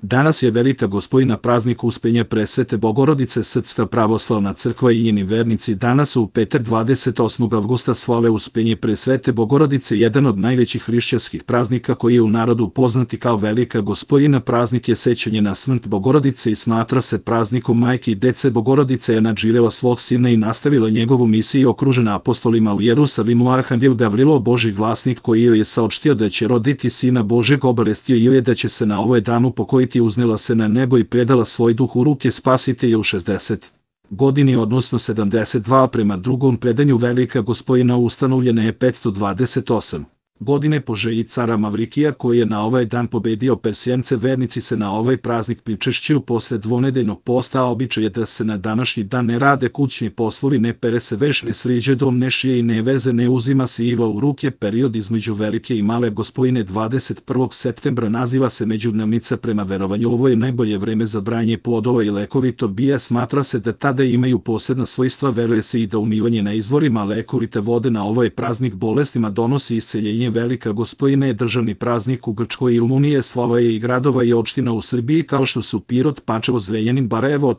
Danas je Velika Gospojina praznik Uspenja Presvete Bogorodice. Srpska pravoslavna crkva i njeni vernici danas u petak 28. avgusta slave Uspenje Presvete Bogorodice, jedan od najvećih hrišćanskih praznika koji je u narodu poznati kao Velika Gospojina. Praznik je sećanje na smrt Bogorodice i smatra se praznikom majke i dece. Bogorodica je nadživela svog sina i nastavila njegovu misiju, okružena apostolima u Jerusalimu. Arhangel Gavrilo, Božji glasnik, koji joj je saopštio da će roditi Sina Božeg, obavestio je da će se na ovaj dan upokojiti, uznela se na nebo i predala svoj duh u ruke Spasitelja u 60 godini, odnosno 72. Prema drugom predanju Velika Gospojina ustanovljena je 528. godine po želji cara Mavrikija, koji je na ovaj dan pobedio Persijance. Vernici se na ovaj praznik pričešćuju posle dvonedeljnog posta, a običaj je da se na današnji dan ne rade kućni poslovi, ne pere se veš, ne sriđe dom, ne šije i ne veze, ne uzima se iva u ruke. Period između Velike i Male Gospojine 21. septembra naziva se međudnevnica. Prema verovanju ovo je najbolje vreme za branje plodova i lekovito bije. Smatra se da tada imaju posebna svojstva. Veruje se i da umivanje na izvorima lekovite vode na ovaj praznik bolestima donosi isceljenje. Velika Gospojina je državni praznik u Grčkoj i Rumuniji. Slava je i gradova i opština u Srbiji kao što su Pirot, Pančevo, Zrenjanin, Barajevo,